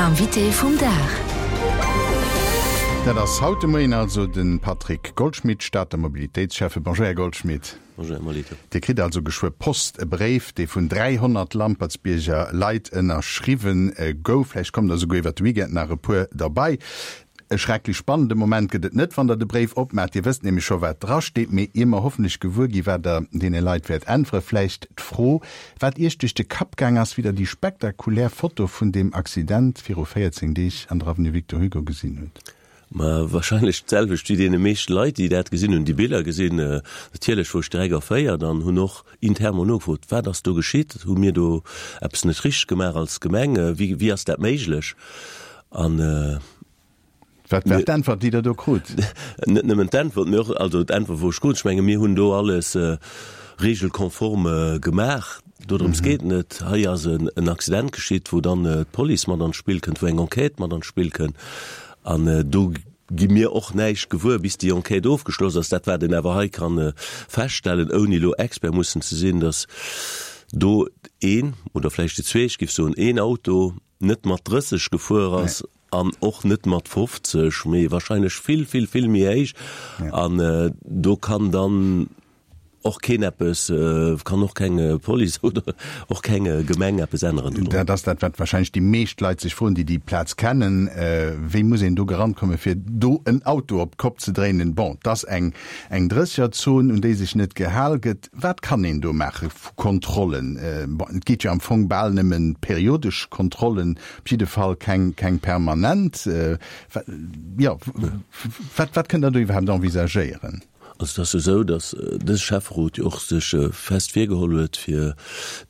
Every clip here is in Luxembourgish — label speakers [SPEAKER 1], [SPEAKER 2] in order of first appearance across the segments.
[SPEAKER 1] Invité vum Dag.
[SPEAKER 2] Dat ass haut de Moien also de Patrick Goldschmidt, Stater Mobilitéitsschäffe. Bonjour, Här Goldschmidt.
[SPEAKER 3] Bonjour, Här Molitor.
[SPEAKER 2] Dir kritt also geschwë Post, e Bréif, dee vun 300 Lampertsbierger Leit ënnerschriwwen gouf. Vläicht kommen der souguer iwwer de Weekend nach e puer derbei. E schrecklech spannende Moment gëtt et net, wann der de Bréif opmaacht. Dir wësst nämlech scho wat drasteet. Mee ier mer hoffentlech gewuer gi wat der deene Leit wäert äntweren, vläicht d'Fro, wat Iech duerch de Kapp gaang ass, wéi der déi spektakulär Foto vun deem Accident viru 14 Deeg an der Avenue Victor Hugo gesinn hutt.
[SPEAKER 3] Ma wahrscheinlech d'selwecht wéi deene meeschte Leit, déi dat gesinn hunn, déi Biller gesinn. Natierlech wor ech direkt erféiert an hunn och intern mol nogefrot, Wat ass do geschitt? Hu mir do eppes net richteg gemaach als Gemeng? Wéi, wéi ass dat méiglech? An
[SPEAKER 2] Wat war d'Äntwert, déi Der do krut?
[SPEAKER 3] Net nëmmen d'Äntwert, mee och, also d'Äntwert wou ech krut, ech menge mir hunn do alles regelkonform gemaach. Dodrëms geet et net. Hei ass en Accident geschitt, wou dann d'Police mat an d'Spill kënnt, wou eng Enquête mat an d'Spill kënnt. An do gi mir och näischt gewuer, bis déi Enquête ofgeschloss ass. Dat wat een awer hei ka feststellen, ouni elo Expert mussen ze sinn, datt do een oder vläicht déi zwee, ech géif soen een Auto, net mat 30 gefuer ass an och net mat 50, mee wahrscheinlech vill, vill, vill méi héich. An do kann dann och keen eppes, kann och keng Police oder och keng Gemeng eppes änneren
[SPEAKER 2] drun. Dat ass dat, wat wahrscheinlech déi meescht Leit sech froen, déi déi Plaz kennen, Wéi muss een do gerannt kommen, fir do en Auto op d'Kopp ze dréinen? Bon, 't ass eng eng Drëssegerzon, un déi sech net gehal gëtt. Wat kann een do maache vu Kontrollen? Bon, et geet jo am Fong bal nëmmen periodesch Kontrollen, op jidde Fall keng, keng permanent. Jo, wat, wat kënnt Der do iwwerhaapt envisagéieren?
[SPEAKER 3] Also et ass jo esou, datt dëse Schäfferot jo och sech fest virgeholl huet, fir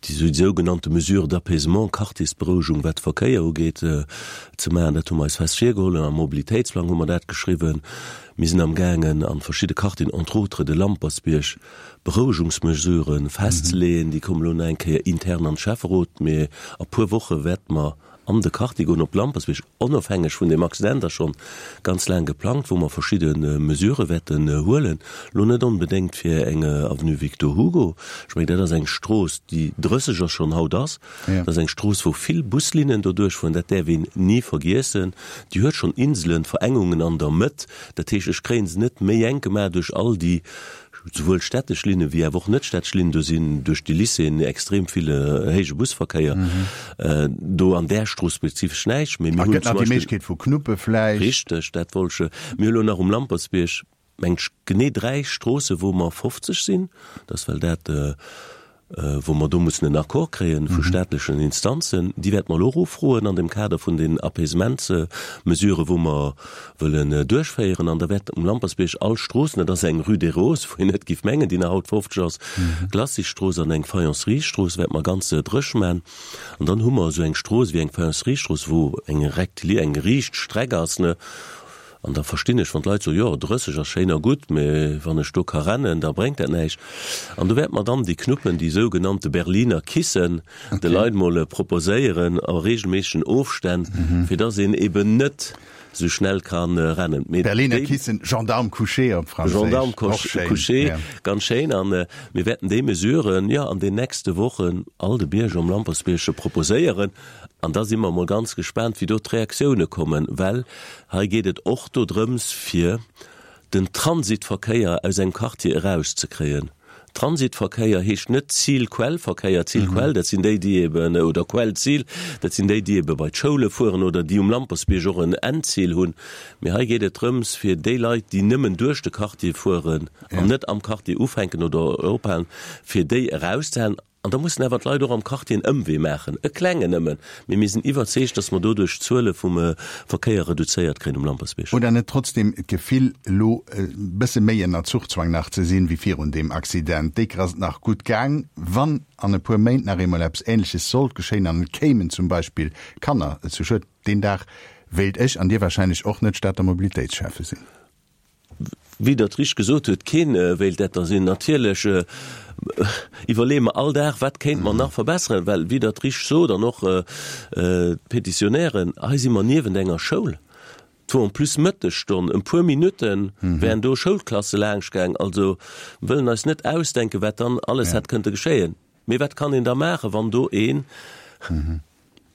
[SPEAKER 3] déi sougenannte Mesures d'apaisement, Quartiersberouegung, wat de Verkéier ugeet, ze maachen. Dat hu mer eis fest virgeholl an am Mobilitéitsplang hu mer dat geschriwwen. Mir sinn amgaangen, a verschidde Quartieren, entre autres de Lampertsbierg, Berouegungsmesurë festzeleeën. Déi kommen elo nach eng Kéier intern an de Schäfferot, mee a puer Woche wäerte mer an de Quartier goen, op Lampertsbierg, onofhängeg vun deem Accident, ass schonn ganz laang geplangt, wou mer verschidde Mesurë wäerten huelen. Elo net onbedéngt fir eng Avenue Victor Hugo, ech mengen, dat ass eng Strooss, déi 30 ass schonn haut ass, Dat ass eng Strooss, wou vill Buslinnen doduerch fueren, dat däerf een ni vergiessen. Déi huet schonn Inselen, Verengungen an der Mëtt. Dat heescht, ech kréie se net méi enk gemaach duerch all déi souwuel städtesch Linne wéi awer och net städtesch Linnen. Do sinn duerch déi Lycéeën extrem vill héije Busverkéier. Do an där Strooss spezifesch näischt,
[SPEAKER 2] mee mir hunn zum Beispill. Et gëtt nach déi Méiglechkeet vu Knuppe vläicht.
[SPEAKER 3] Richteg, dat wollt ech. Mir hu lo nach um Lampertsbierg mengt ech, genee 3 Stroosse wou mer 50 sinn, dat ass well dat wou mer do mussen en Accord kréien vu staatlechen Instanzen, déi wäerte mer elo och ufroen an dem Kader vun den Apaisementsmesuren, wou mer wëllen duerchféieren. An da wäert um Lampersbierg all Stroossen, dat ass eng Rue des Roses, wou een net géif mengen, déi nach haut 50 ass, Glacisstrooss an eng Faïencerie-Strooss wäerte mer ganz dréch man. An dann hu mer esou eng Strooss wéi eng Faïencerie-Strooss, wou eng rectili-, eng riicht Streck ass, ne, An da verstinn ech, wann d'Leit soen, jo, 30 ass schéin a gutt, mä wann ech do ka rennen, da bréngt dat näischt. An do wäerte mer dann déi Knuppen, déi sougenannte Berliner Kissen, de Leit mol proposéieren a regelméissegen Ofstänn, fir dass een eben net esou schnell ka rennen.
[SPEAKER 2] Mee Berliner Kissen, Gendarme couché op Franséisch.
[SPEAKER 3] Gendarme couché, ganz schéin. A mir wäerten déi Mesuren, jo, an den nächste Wochen all de Bierger um Lampertsbierg proposéieren. An da si mer emol ganz gespaant, wéi do d'Reaktioune kommen, well hei geet et och dodrëms, fir den Transitverkéier aus engem Quartier erauszekréien. Transitverkéier heescht net Zil-Quell-Verkéier. Zil-Quell, dat sinn déi, déi eben, oder Quell-Zil, dat sinn déi, déi ebe bei d'Schoule fueren oder déi um Lampersbierg och en Endzil hunn. Mee hei geet et drëms, fir déi Leit, déi nëmmen duerch de Quartier fueren an net am Quartier ufänken oder ophalen, fir déi erauszehalen. An da mussen awer d'Leit och am Quartier en Ëmwee maachen, e klengen nëmmen, mee mir sinn iwwerzeegt, dass mer doduerch d'Zuele vum Verkéier reduzéiert kréien um Lampertsbierg.
[SPEAKER 2] Hutt Der net trotzdem d'Gefill, elo e bësse méi ënner Zuchzwang nach ze sinn, wéi virun deem Accident? Déi Kéier ass et nach gutt gaang. Wann an e puer Méint nach eemol eppes Ähnleches sollt geschéien an et kéimen zum Beispill Kanner zu Schued, deen Dag wéilt ech an Dir wahrscheinlech och net Stater Mobilitéitsschäffe sinn.
[SPEAKER 3] Wéi Der et richteg gesot hutt, keen wéilt dat da sinn. Natierlech iwwerleeë mer all Dag, wat kéinte mer nach verbesseren, well, wéi Der et richteg sot, an och d'Petitionnairen, hei si mer niewent enger Schoul, et wor en plus Mëttesstonn, en puer Minutte wären do Schoulklasse laanschtgaang. Also wëllen eis net ausdenken, wat dann alles hätt kënnte geschéien. Mee wat kann een da maachen, wann do een.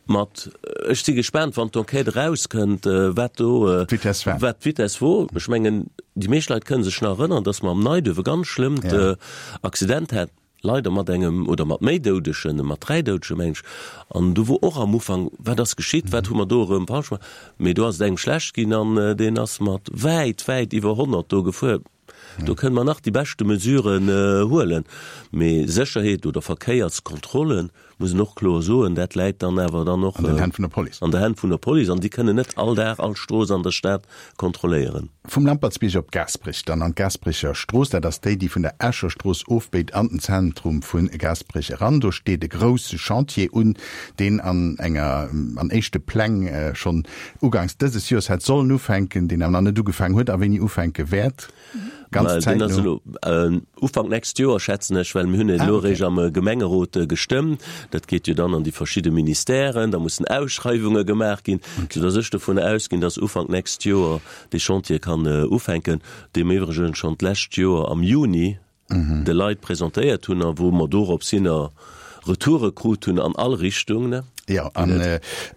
[SPEAKER 3] Mat, ech si gespaant, wann d'Enquête erauskënnt, wat do,
[SPEAKER 2] D'Vitess war.
[SPEAKER 3] wat d'Vitess wor. Ech mengen, déi meescht Leit kënne sech nach erënnern, dass mer am Neiduerf e ganz schlëmmt Accident haten, leider mat engem oder mat méi Doudegen, mat 3 Doudegen, meng ech. An do wor och am Ufank, wat ass geschitt, wat hu mer do erëm falsch gemaach? Mee do ass et engem schlecht ginn an deen ass mat wäit, wäit iwwer 100 do gefuer. Do kënne mer nach déi beschte Mesuren huelen, mee Sécherheet oder Verkéierskontrollen, muss een och kloer soen, dat läit dann awer dann och
[SPEAKER 2] an den Hänn vun der Police.
[SPEAKER 3] An der Hänn vun der Police an déi kënnen net all Dag all Strooss an der Stad kontrolléieren.
[SPEAKER 2] Vum Lampertsbierg op Gaasperech, dann an d'Gaasperecher Strooss, dat ass déi, déi vun der Escher Strooss ofbéit an den Zentrum vu Gaasperech eran. Do steet e grousse Chantier un, deen an enger, an éischte Pläng schonn ugangs dëses Joers hätt sollen ufänken, deen awer nach net ugefaangen huet a wéini ufänke wäert, ganz
[SPEAKER 3] Deen ass
[SPEAKER 2] zäitno.
[SPEAKER 3] elo Ufank nächst Joer, schätzen ech, well mir hunn en elo eréischt am Gemengerot gestëmmt. Dat geet jo dann an déi verschidde Ministèren, da mussen Ausschreiwunge gemaach ginn, soudass ech dovun ausginn, dass Ufank nächst Joer dee Chantier kann ufänken, dee mir iwwregens schonn d'lescht Joer am Juni de Leit presentéiert hunn a wou mer dorops hinner Retoure krut hunn an all Richtung, ne?
[SPEAKER 2] Jo, an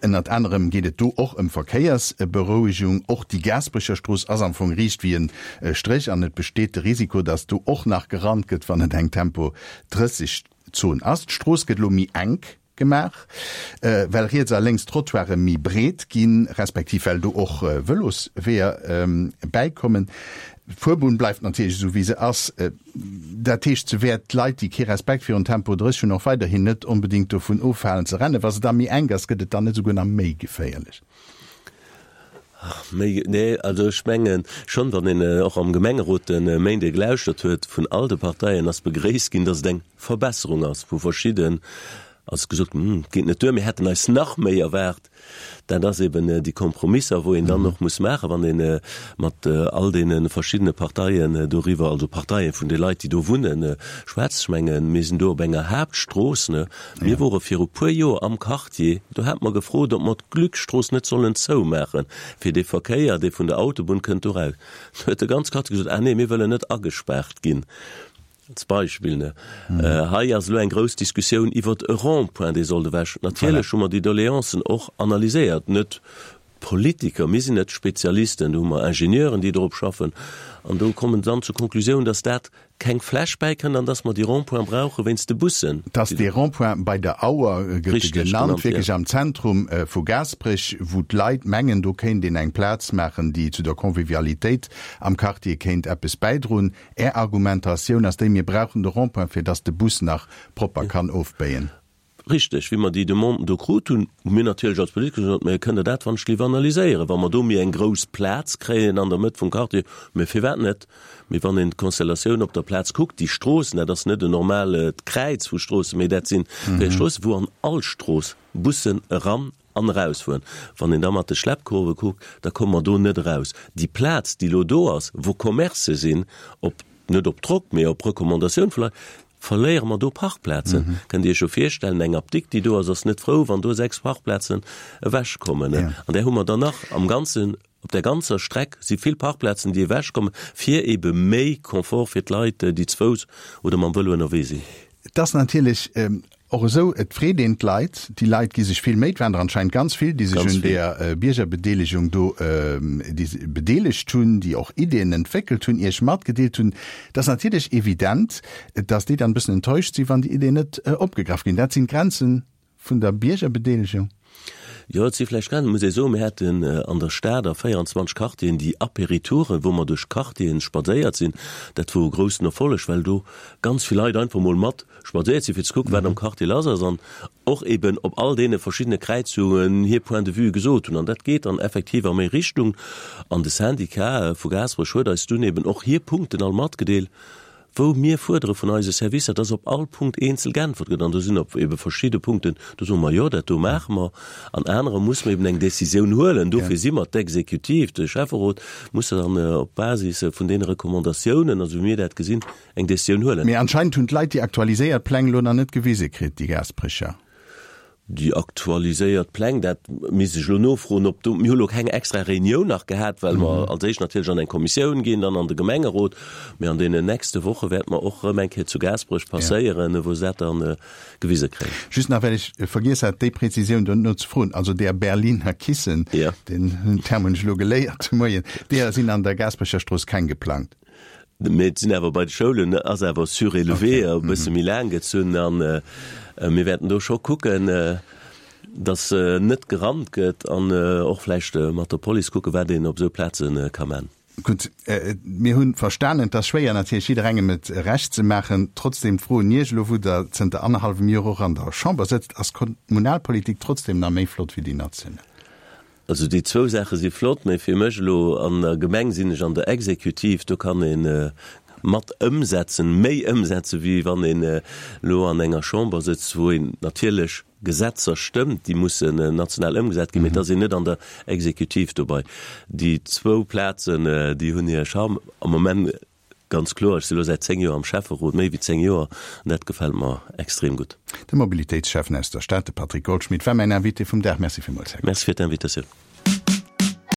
[SPEAKER 2] ënnert anerem geet et do och ëm Verkéiersberouegung. Och déi Gaasperecher Strooss ass am Fong riicht wéi e Stréch an et besteet de Risiko, datt do och nach gerannt gëtt, wann et eng Tempo 30 Zon ass. D'Strooss gëtt elo méi enk. Gemaach, well riets a lénks d'Trottoire méi breet ginn, respektiv well do och Vëlosweeër bäikommen. D'Fuerbunn bleift natierlech esou wéi se ass. Dat heescht, se wäert d'Leit, déi kee Respekt virun Tempo 30 hunn, och weiderhin net onbedéngt dovun ofhalen ze rennen. Wa se da méi enk ass, gëtt et dann net esouguer nach méi geféierlech?
[SPEAKER 3] Méi, nee, also ech mengen schonn, wann een och am Gemengerot de Méinde gelauschtert huet, vun all de Parteien ass begréisst ginn, datt et eng Verbesserung ass, wou verschidden ass gesot ginn, hm, geet net duer, mir hätten eis nach méi erwaart. Dat ass eben déi Kompromisser, wou een dann och muss maachen, wann ee mat all deene verschiddene Parteien doriwwer, also Parteien vun de Leit, déi do wunnen, schwätzt. Ech mengen, mir sinn do op enger Haaptstrooss, ne. Mir wore viru puer Joer am Quartier, do hate mer gefrot, ob mer d'Glückstrooss net sollen zoumaachen, fir dee Verkéier, dee vun der Autobunn kënnt, do raus. Do huet de ganz Quartier gesot, ah nee, mir wëllen net agespaart ginn. Als Beispill, ne? Hei ass elo eng grouss Diskussioun iwwert e Rond-point, dee sollt ewech. Natierlech hu mer déi Doleancen och analyséiert, net d'Politiker, mir sinn net d'Spezialisten, do hu mer Ingenieuren, déi dorop schaffen. An do kommen se dann zur Konklusioun, dass dat keng Fläch bäikënnt an dass mer déi Rond-pointe brauche wéinst de Bussen.
[SPEAKER 2] Dass dee Rond-point bei der Auer, gëtt e genannt, wierklech am Zentrum vu Gaasperech, wou d'Leit mengen, do kéint een eng Plaz maachen, déi zu der Convivialitéit am Quartier kéint eppes bäidroen. Är Argumentatioun ass déi, mir brauchen de Rond-point, fir dass de Bus nach propper kann ofbéien.
[SPEAKER 3] Richteg. Wéi mer déi Demanden do krut hunn, hu mir natierlech als Politiker gesot, Mä kënnt Der dat wann ech léif analyséieren, wa mer do méi eng grouss Plaz kréien an der Mëtt vum Quartier? Mä firwat net? Mee wann een d'Konstellatioun op der Plaz kuckt, déi Stroossen, dat ass net en normalt Kräiz vu Stroossen, mee dat sinn 4 Stroossen, wou an all Strooss Bussen eran An erausfueren. Wann een da mat de Schleppkurve kuckt, da komme mer do net eraus. Déi Plaz, déi elo do ass, wou Commercë sinn, op, net op Drock, mee op Recommandatioun vu Leit, verléiere mer do Parkplazen. Kënnt Dir Iech jo virstellen, eng Apdikt, déi do ass, ass net frou, wann do 6 Parkplazen ewechkommen. An där hu mer dann nach am Ganzen, op där ganzer Streck si vill Parkplazen, déi ewechkommen, fir ebe méi Confort fir d'Leit, déi ze Fouss oder mam Vëlo ënnerwee sinn.
[SPEAKER 2] Et ass natierlech och esou, et freet een d'Leit, déi Leit gi sech vill Méi, et waren der anscheinend ganz vill, déi sech un deeër Biergerbedeelegung do bedeelegt hunn, déi och Ideeën entwéckelt hunn, Iech matgedeelt hunn. Et ass natierlech evident, datt déi dann e bëssen enttäuscht sinn, wann déi Ideeën net opgegraff ginn. Dat sinn d'Grenzen vun der Biergerbedeelegung.
[SPEAKER 3] Jo, et si vläicht Grenzen, muss ee soen. Mir haten an der Stad a 24 Quartieren déi Apéritouren, wou mer duerch d'Quartieren spadséiert sinn. Dat wor e groussen Erfolleg, well do ganz vill Leit einfach mol mat spadséiert sinn, fir ze kucken, wat am Quartier lass ass an och eben op all deene verschiddene Kräizungen hir Point de vue gesot hunn. An dat geet dann effektiv a méi Richtung. An de Syndicat vu Gaasperech huet eis dunn eben och hir Punkten all matgedeelt. wou mir fuerdere vun eise Servicer, dass op all Punkt eenzel geäntwert gëtt. An do sinn op ebe verschidde Punkten, do soe mer, jo, dat do maache mer. An anerer musse mer eben eng Décisioun huelen. Dofir si mer d'Exekutiv, de Schäfferot muss dann op Basis vun deene Recommandatiounen, esou wéi mir dat gesinn, eng Décisioun huelen.
[SPEAKER 2] Mee anscheinend hunn d'Leit déi aktualiséiert Pläng elo nach net gewise kritt, déi Gaasperecher.
[SPEAKER 3] Déi aktualiséiert Pläng, dat misst ech elo nofroen, ob do, mir hu lo keng extra Reunioun nach gehat, well mer als éischt natierlech an eng Kommissioun ginn, dann an de Gemengerot, mee an deenen nächste Woche wäerte mer och erëm eng Kéier zu Gaasperech passéieren, wou se dat dann gewise kréien.
[SPEAKER 2] Just nach, well ech vergiess hat, déi Präzisioun do no ze froen, also deer Berliner Kissen, deen Term hunn ech elo geléiert de Moien, deeër sinn an der Gaasperecher Strooss keng geplangt.
[SPEAKER 3] Mee et sinn awer bei de Schoulen ass awer surélevé, e bësse méi laang gezunn. A mir wäerten do scho kucken, datt net gerannt gëtt an och vläicht mat der Police kucken, wat een op esou Plaze ka man.
[SPEAKER 2] Gutt, mir hu verstanen, et ass schwéier natierlech jidderengem et Recht ze maachen. Trotzdem d'Fro un Iech, elo wou Der zënter annerhallwem Joer och an der Chamber sëtzt, Ass d'Kommunalpolitik trotzdem nach méi flott wéi déi national?
[SPEAKER 3] Also déi zwou Saache si flott, mä fir mech elo an der Gemeng sinn ech an der Exekutiv, do kann ee mat ëmsetzen, méi ëmsetzen, wéi wann een elo an enger Chamber sëtzt, wou een natierlech Gesetzer stëmmt, déi mussen national ëmgesat ginn, mä et ass een net an der Exekutiv dobei. Déi zwou Plazen, déi hunn hir Charme am Moment. Ganz kloer, ech si lo säit 10 Joer am Schäfferot, méi wéi 10 Joer, an dat gefält mer extrem gutt.
[SPEAKER 2] De Mobilitéitsschäffen aus der Stad, de Patrick Goldschmidt, war mäin Invité vum Dag. Merci villmools,
[SPEAKER 3] Här Goldschmidt. Merci fir d'Invitatioun.